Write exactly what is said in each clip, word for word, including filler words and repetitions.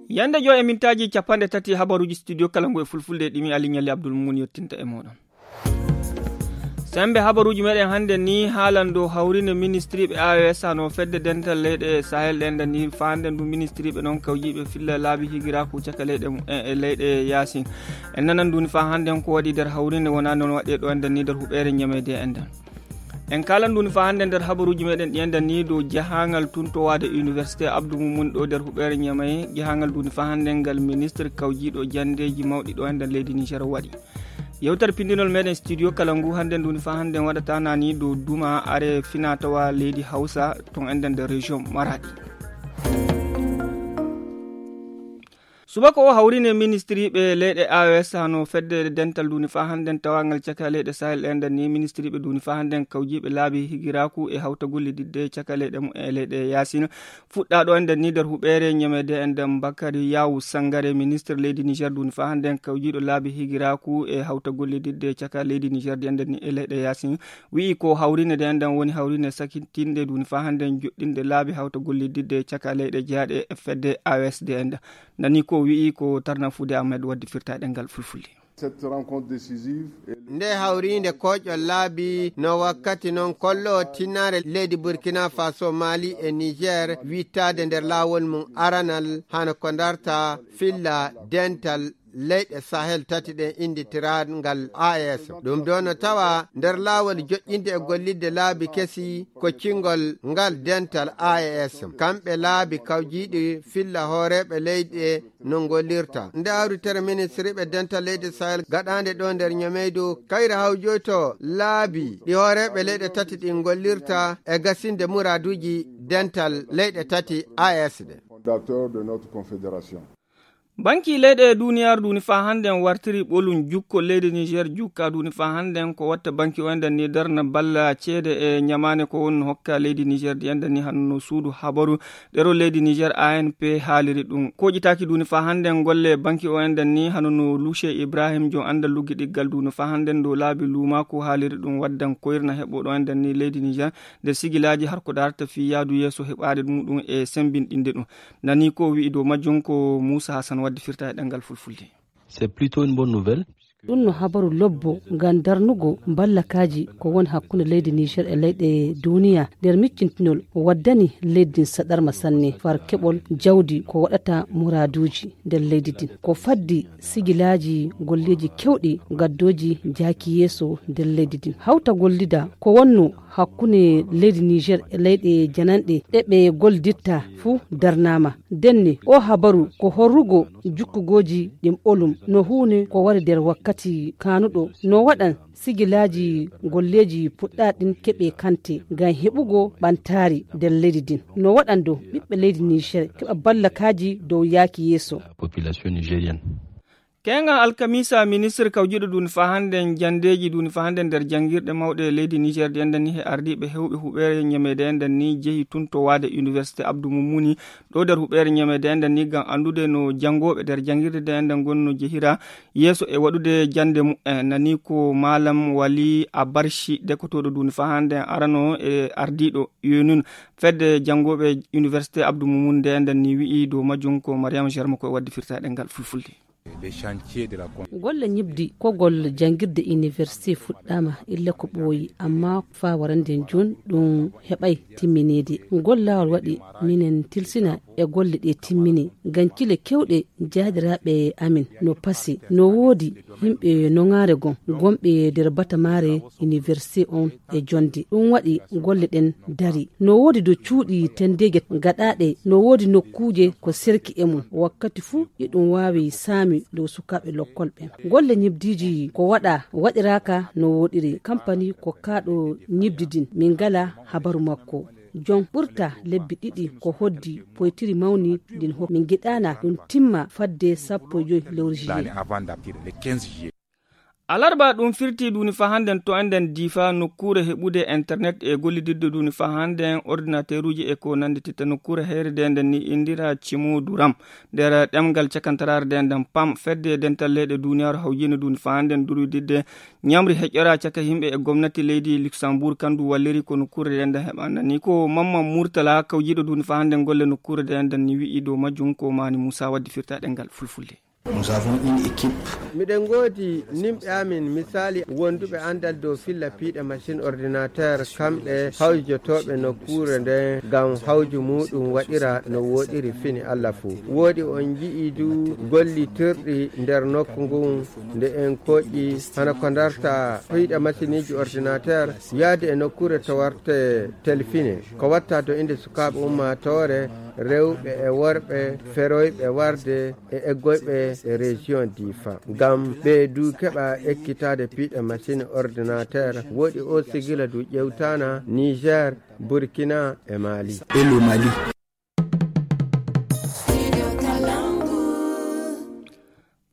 Yande jo e mintaji capande tati habaruji studio Kalangu e fulfulde ɗimi Ali Nyalli Abdul Mumun yettinta e moɗon. Sembe habaruji meɗen hande ni haalando hawrine ministry ɓe A E S no fedde dental leyɗe Sahel ɗen ni fande du ministry ɓe non kawjiɓe filla laabi higiraku caka leyɗe e leyɗe Yasin en nanan duni fa hande ko waɗi der hawrine wona non waɗe ɗo enden ni der huɓere ñamede enden en kalan duni fa hande der habaruji meɗen ɗienden ni do jahangal tuntowade université Abdou Moumouni ɗo der huɓere ñamay jahangal duni fa hande ngal ministre kawjiɗo jandeji mawɗi ɗo enden leydi Niger waɗi yewtar pindinol meɗen studio Kalangu hande duni fa hande waɗata nani do duma are fina tawa leydi Hausa ton enden de région Maradi subako o hawrine ministry ɓe leyɗe A E S no fedde dental duni fa handen tawangal caka leyɗe Sahel enden ni ministry ɓe duni fa handen kawjiɓe laabi higiraku e hawta gollididde caka leyɗe mum e leyɗe Yasina fuɗɗa ɗo enden ni der huɓere ñamede enden Bakary Yawu Sangare ministre leydi Niger duni fa handen kawjiɗo laabi higiraku e hawta gollididde caka leydi Niger de enden ni e leyɗe Yasina wi ko hawrine de enden woni hawrine sakitinde duni fa handen joɗɗinde laabi hawta gollididde caka leyɗe jeyaɗe e fedde A E S de enden nani ko wi ko tarna fude Ahmed waddi firtaɗe ngal fulfulde nde hawrinde koƴol laabi no wakkati noon kollo tinnare leydi Burkina Faso, Mali e Niger wittade nder lawol mum aranal hano ko darta filla dental leyɗe Sahel tati ɗen inditirangal A E S ɗum ɗo no tawa nder laawol joƴƴinde e gollidde laabi kesi ko cingol ngal dental A E S kamɓe laabi kawjiɗi filla hooreɓe leyɗe no gollirta nde hawritere ministre ɓe dental leyɗe Sahel gaɗande ɗo nder ñameydu kayre hawjoyto laabi ɗi hooreɓe leyɗe tati ɗi gollirta e gasinde muraduji dental leyɗe tati A E S ɗe. banki leyɗe duniyar duni fa handen wartiri ɓolum jukko leydi Niger jukka duni fa handen ko watta banki o enden ni darna balla ceede e ñamane ko won hokka leydi Niger di enden ni hanno suudu habaru ɗero leydi Niger A N P haaliri ɗum koƴitaki duni fa handen golle banki o enden ni hanono Louche Ibrahim jon andal luggiɗiggal duni fa handen do laabi lumako haaliri ɗum waddan koyrna heɓoɗo enden ni leydi Niger nder sigilaji har ko darta fi yaadu yeeso heɓade ɗum ɗum e sembinɗinde ɗum nani ko wi'i do majjum ko Moussa Hassan c'est plutôt une bonne nouvelle. ɗum no habaru lobbo ngam darnugo ballakaji ko won hakkunde leydi Niger e leyɗe duniya nder miccintinol waddani leydi saɗarma sanne far keɓol jawdi ko waɗata muraduji nder leydi din ko faddi sigilaji golleji kewɗi gaddoji jaaki yeeso nder leydi din hawta gollida ko wonno hakkunde leydi Niger e leyɗe jananɗe ɗeɓe golditta fuu darnama denne o habaru ko horrugo jukkugoji ɗin ɓolum no hunde ko wari nder wakkati kanuɗo no waɗan sigilaji golleji puɗɗaɗin keɓe kante ngam heɓugo ɓantari nder leydi din no waɗando ɓiɓɓe leydi Niger keɓa ballakaji dow yaaki yeeso population nigérienne. kenga alkamisa ministre kawjiɗo duni fa handen jandeji duni fa handen nder jangirɗe mawɗe leydi Niger de enden ni he ardiɓe hewɓe huɓere ñamede enden ni jeehi tuntowade université Abdou Moumouni ɗo nder huɓere ñamede enden ni gam andude no jangoɓe nder jangirde de enden gonno jehira yeeso e waɗude jande mu'en nani ko malam Wali Abarshi dekotoɗo duni fa handen arano e ardiɗo yonun fedde jangoɓe université Abdou Moumouni de enden ni wi'i do majjum ko Mariama Germa ko waddi firtaɗe ngal fulfulde. golle ñibdi ko gol jangirde université fuɗɗama illa ko ɓooyi amma fa warande joni ɗum heɓay timminede gollawol waɗi minen tilsina e golle ɗe timmini ngam kile kewɗe jaadiraɓe amin no pasi no woodi yimɓe nogare gon gonɓe nder batamare université on e jonde ɗum waɗi golle ɗen dari no woodi do cuuɗi tendege gaɗaɗe no woodi nokkuje ko serki e mum wakkati fuu eɗum wawi saami dow sukaɓe lokkol ɓen golle ñibdiji ko waɗa waɗiraka no woɗiri campani ko kaɗo ñibdidin min gala habaru makko jon ɓurta lebbi ɗiɗi ko hoddi poytiri mawni ɗin ho min giɗana ɗum timma fadde sappo e joyi lewru juillet. alarba ɗum firti duni fa handen to enden difa nokkure heɓude internet e gollididde duni fa handen ordinateur uji e ko nandi titta nokkure heere de nden ni indira cimo duram nder ɗemgal cakantarare de nden pam fedde dental leyɗe duniyaru hawjino duni fa handen durudidde ñamri heƴƴora caka himɓe e gomnati leydi luxembourg kandu walliri ko nokkure de nden heɓanda ni ko mamma murtala kawjiɗo duni fa handen golle nokkure de nden ni wi'i dow majjum ko mani Moussa waddi firta ɗengal fulfulde. Nous avons une équipe. Miɗen goodi nimɓe amin misali wonduɓe andal dow filla piiɗe machine ordinateur kamɓe hawjotoɓe nokkure nden ngam hawju muɗum waɗira no woɗiri fini Allah fuu. Woodi on jii du gollitirɗi nder nokku ngun nde en koƴƴi hana ko darta piiɗe machine ji ordinateur yaade e nokkure to warte telfine ko watta to inde sukaɓe ummatore rewɓe e worɓe feroyɓe warde e eggoyɓe e région difa ngam ɓeydu keɓa ekkitade piiɗe machine ordinateur woɗi o sigila du ƴewtana Niger, Burkina e Mali et le Mali.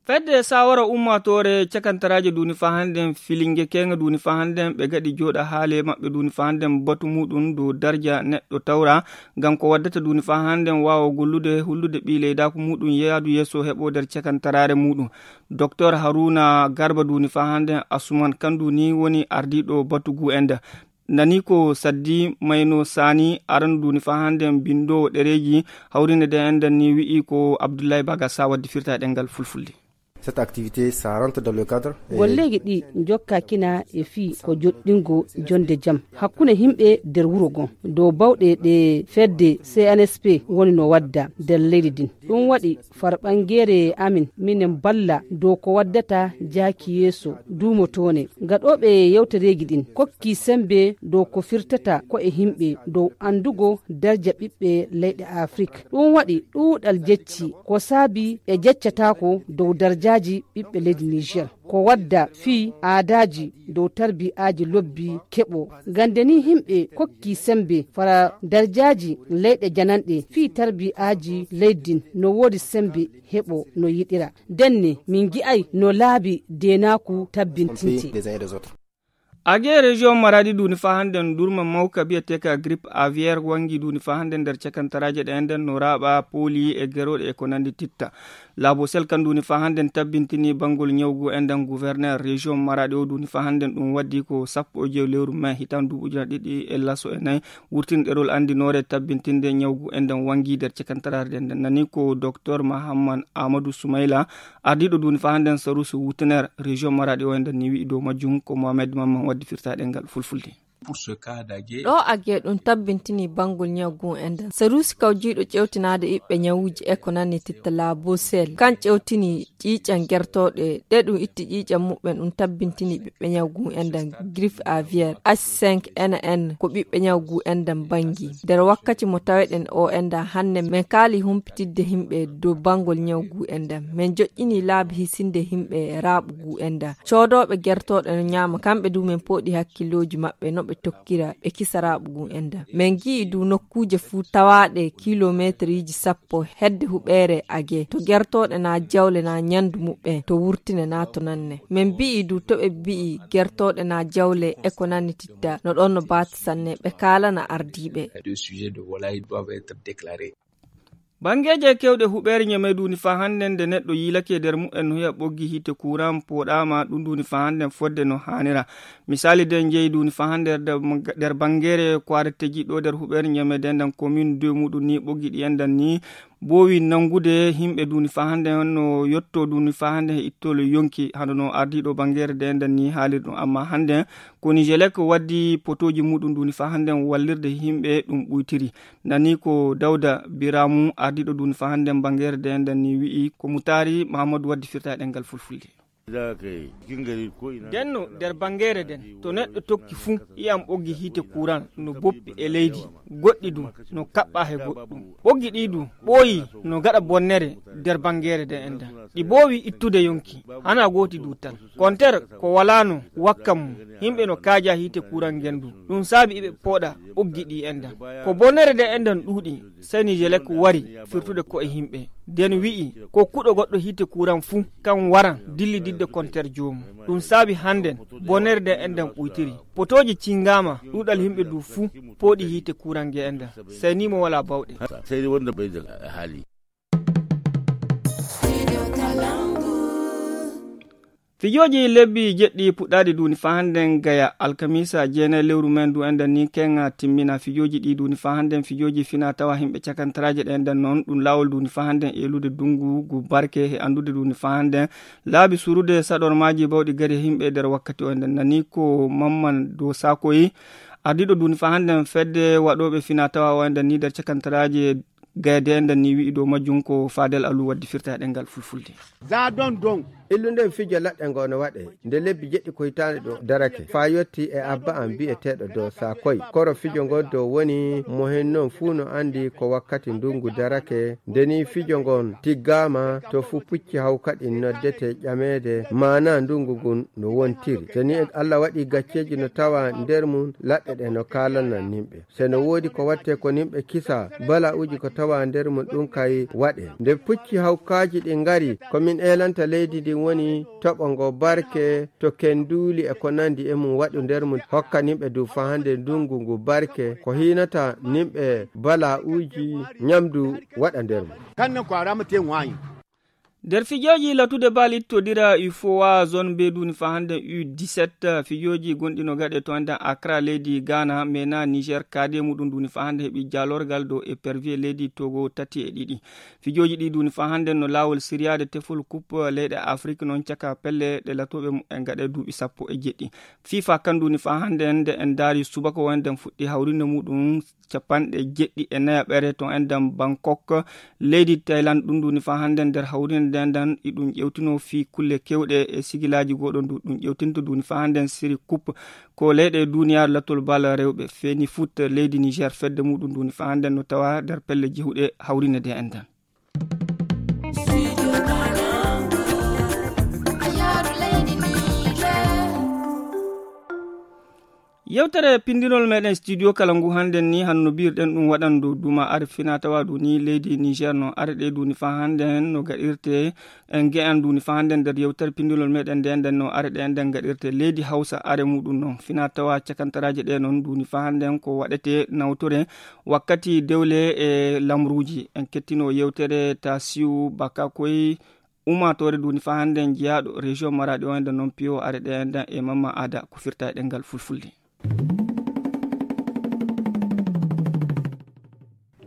fedde sawara ummatore cakantaraje duni fa handen filinge kenga duni fa handen ɓe gaɗi joɗa haale maɓɓe duni fa handen batu muɗum dow darja neɗɗo tawra ngam ko waddata duni fa handen wawa gollude hullude ɓi leydaku muɗum yaadu yesso heɓo nder cakantarare muɗum. Docteur Haruna Garba duni fa handen Asuman kandu ni woni ardiɗo batugu enda nani ko saddi mayno sani aran duni fa handen bindo ɗereji hawrinde de enden ni wi'i ko Abdoulaye Baga sa waddi firta ɗengal fulfulde. Cette activité, ça rentre dans le cadre. Gollegi ɗi jokka kina e fi ko joɗɗingo jonde jam hakkune himɓe nder wuro gon dow bawɗe ɗe fedde C N S P woni no wadda nder leydi din ɗum waɗi farɓangere amin minen balla dow ko waddata jaaki yeeso duumotone gaɗoɓe yewtereji ɗin kokki sembe dow ko firtata ko e himɓe dow andugo darja ɓiɓɓe leyɗe Afrique ɗum waɗi ɗuuɗal jecci ko saabi e jeccatako dow darja ɓiɓɓe leydi Niger ko wadda fi aadaji dow tarbiyaji lobbi keɓo gande ni himɓe kokki sembe fara darjaji leyɗe jananɗe fi tarbiyaji leydin no wodi sembe heɓo no yiɗira denne min gi'ay no laabi denaku tabbintinti. age région maradi duni fa handen durma mawka biyateka grippe aviaire wangi duni fa handen nder cakantaraje ɗe enden no raɓa poli e geroɗe e ko nandi titta laabo sel kan duni fa handen tabbintini bangol ñawgu enden gouverneur région maradi o duni fa handen ɗum waddi ko sappo e jew lewru mai hitan duɓujuna ɗiɗi e laso e nayyi wurtin ɗerol andinore tabbintinde ñawgu enden wangi nder cakantarare ɗe nden nani ko docteur Mahamman Amadou Soumaila ardiɗo duni fa handen sarusu wutenaire région maradi o enden ni wi'i dow majjum ko Mohamed Mamman waddi firtaɗe ngal fulfulde. ɗo age ɗum tabbintini bangol ñawgu enden sarusi kawjiɗo ƴewtinade iɓɓe ñawuji e ko nanni titta laabo sel kan ƴewtini ƴiiƴan gertoɗe ɗe ɗum itti ƴiiƴan muɓɓen ɗum tabbintini ɓiɓɓe ñawgu enden grippe aviaire H cinq N N ko ɓiɓɓe ñawgu enden bangi nder wakkati mo taweɗen o enda hande min kaali humpitidde himɓe dow bangol ñawgu enden min joƴƴini laabi hisinde himɓe raɓugu enda codoɓe gertoɗe no ñama kamɓe du min poɗi hakkilloji maɓɓe no ɓe tokkira ɓe kisa raɓugu enda min gi'i du nokkuje fuu tawaɗe kilométre ji sappo hedde huɓere age to gertoɗe na jawle na ñandu muɓɓe to wurtine na to nanne min bi'i du to ɓe bi'i gertoɗe na jawle e ko nanni titta no ɗon no baati sanne ɓe kalana ardiɓe. bangeje kewɗe huɓere ñame duni fa handen nde neɗɗo yilake nder mu'en no hiya ɓoggi hite kuran poɗama ɗum duni fa handen fodde no hanira misali den jeeyi duni fa hande nder bangere ko aretteji ɗo nder huɓere ñame dendan commune deux muɗum ni ɓoggi ɗi endan ni bowi nangude himɓe duni fa hande no yotto duni fa hande e ittolo yonki hande no ardiɗo bangere de enden ni haalir ɗum amma hande ko Nigelec waddi potoji muɗum duni fa hande wallirde himɓe ɗum ɓuytiri nani ko Dawda Biramu ardiɗo duni fa hande bangere de enden ni wi'i ko Mutari Mahamadou waddi firta ɗengal fulfulde. denno nder bangere den to neɗɗo tokki fuu iyam ɓoggi hite kuran no boppi e leydi goɗɗi ɗum no kaɓɓa he goɗɗum ɓoggi ɗi ɗum ɓooyi no gaɗa bonnere nder bangere den enda ɗi bowi ittude yonki hana goti du tan kontere ko walano wakkam himɓe no kaaja hite kuran gendu ɗum saabi iɓe pooɗa ɓoggi ɗi enda ko bonnere den endan ɗuuɗi sey Nigelec wari firtude ko e himɓe den wi'i ko kuɗo goɗɗo hite kuran fuu kan waran dilli ɓuydidde kontere jomum ɗum saabi hannden bonerde enden ɓuytiri potoji cingama ɗuɗal himɓe du fuu pooɗi hiite kurange enden sey ni mo wala bawɗe sey wonde ɓeyda haali. fijoji lebbi jeɗɗi puɗɗaɗi duni fa hannden gaya alkamisa jeenayi lewru men du enden ni kenga timmina fijoji ɗi duni fa hannden fijoji fina tawa himɓe cakantaraje ɗe enden noon ɗum lawol duni fa hannden elude dungu gu barke e andude duni fa hannden laabi surude saɗormaji bawɗi gari himɓe nder wakkati o enden nani ko mamman dow sakoyi ardiɗo duni fa hannden fedde waɗoɓe fina tawa o enden ni nder cakantaraje gayde enden ni wi'i dow majjum ko Fadel Alou waddi firta ɗengal fulfulde za don don illunden fijo laɗɗe ngo no waɗe nde lebbi jeɗɗi koytani ɗo darake fa yetti e abba an bi'eteɗo dow sakoy koro fijo ngon dow woni mo hen noon fuu no andi ko wakkati ndungu darake ndeni fijo ngon tiggama to fu pucci haw kadi noddete ƴamede mana ndungu ngun no wontiri seni Allah waɗi gacceji no tawa nder mum laɗɗe ɗe no kalanan nimɓe seno woodi ko watte ko nimɓe kisa bala uji ko tawa nder mum ɗum kay waɗe nde pucci hawkaji ɗi ngari komin elanta leydi ndi woni toɓo ngo barke to kenduli e ko nandi e mum waɗu nder mum hokka nimɓe du fa hande ndungu ngu barke ko hinata nimɓe bala uji nyamdu waɗa nder mum kanne ko aramate wayi nder fijoji latude bal ittodira U F O A zone B duni fa hande U dix-sept fijoji gonɗino gaɗe to anda Accra leydi Ghana mena Niger kade muɗum duni fa hande heɓi jalorgal dow épervier leydi Togo tati e ɗiɗi fijoji ɗi duni fa hande no lawol siriyade tefol coupe leyɗe Afrique non caka pelle ɗe latoɓe en gaɗe duuɓi sappo e jeɗɗi FIFA kan duni fa hande nde en daari subaka wonde fuɗɗi hawrinde muɗum capanɗe jeɗɗi e nayaɓere to enden Bangkok leydi Thailand ɗum duni fa hande nder hawrinde dendan iɗum ƴewtino fi kulle kewɗe e sigilaji goɗon du ɗum ƴewtinto duni fa handen série coupe ko leyɗe duniyaru lattol bal rewɓe feni foot leydi Niger fedde muɗum duni fa handen no tawa nder pelle jehuɗe hawrinde de enden yewtere pindinol meɗen studio kala ngu handen ni hanno birɗen ɗum waɗan dow duma are fina tawa du ni leydi Niger no arɗe duni fa handen no gaɗirte en ge'an duni fa handen nder yewtere pindinol meɗen nde enden no arɗe enden gaɗirte leydi Hausa are muɗum noon fina tawa cakantaraje ɗe noon duni fa handen ko waɗete nawtore wakkati dewle e lamruji en kettino yewtere Tasiu Bakakoy umatore duni fa handen jeyaɗo région Maradi o enden noon piyo arɗe enden e Mamma Ada ko firta e ɗengal fulfulde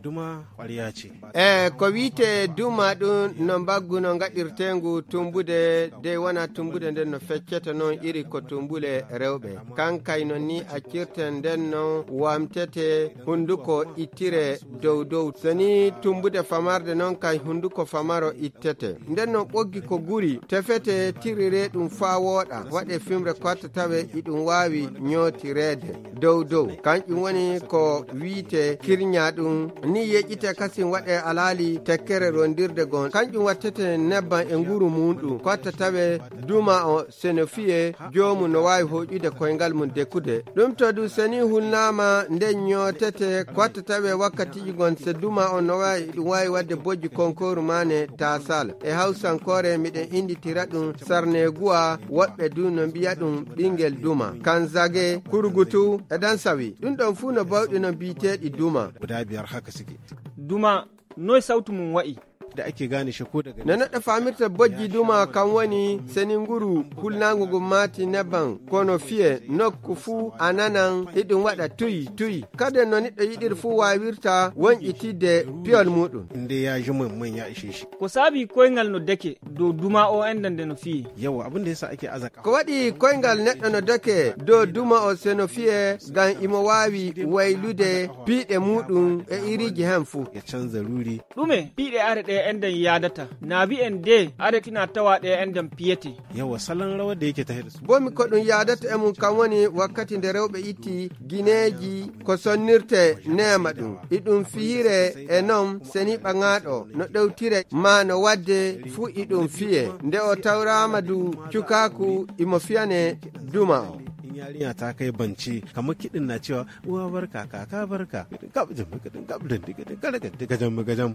duma ƙwarya ce e ko wiite duma ɗum no mbaggu no gaɗirtengu tumbude de wona tumbude nden no fecceta noon iri ko tumbule rewɓe kankay non ni accirten nden no wamtete hunduko ittire dow dow soni tumbude famarde noon kay hunduko famaro ittete nden no ɓoggi ko guri tefete tirire ɗum fa wooɗa waɗe fimre kotta tawe iɗum wawi ñootirede dow dow kanƴum woni ko wiite kirña ɗum ni yeƴƴite kasin waɗe alali tekkere rondirde gon kanƴum wattete nebban e nguru muɗum kotta tawe duma o seno fiye jomum no wawi hoƴude koyngal mum dekkude ɗum to du seni hulnama nden ñootete kotta tawe wakkatiji gon se duma on no wawi ɗum wawi wadde bojji konkoru mane tasal e hawsankore miɗen inditira ɗum sarneguwa woɓɓe du no mbiya ɗum ɓingel duma kanzage kurgutu e dan sawi ɗum ɗon fuu no bawɗi no mbiteɗi duma guda biyar haka suke duma noy sautu mum wa'i da ake gane shi ko daga na naɗa famirta bojji duma kan woni seni nguru hulnagu gum mati nebban kono fiye nokku fuu ananan iɗum waɗa tuyi tuyi kada no niɗɗo yiɗir fuu wawirta wonƴitidde piyol muɗum inde ya ji mun ya ishe shi ko saabi koyngal no deke dow duma o enden de no fiye yawa abin da yasa ake azaka ko waɗi koyngal neɗɗo no deke dow duma o seno fiye ngam imo wawi waylude piiɗe muɗum e iriji hen fuu ya canza ruri ɗume piiɗe are ɗe enden yadata naabi en de aretina tawa ɗe enden piyete yawa salon rawar da yake tahe da su bomi ko ɗum yadata e mum kam woni wakkati nde rewɓe itti guineji ko sonnirte nema ɗum iɗum fiire e noon seni ɓaŋaɗo no ɗewtire ma no wadde fuu iɗum fiye nde o tawrama du cukaku imo fiyane duma o yarinya ta kai banci kamar kiɗin na cewa uwa barka kaka barka kabjin makadin kabdin digadin karagan digajan magajan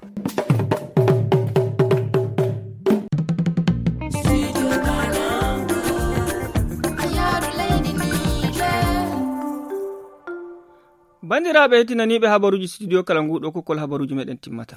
bandiraɓe hettinaniɓe habaruji studio kala nguɗo kokol habaruji meɗen timmata.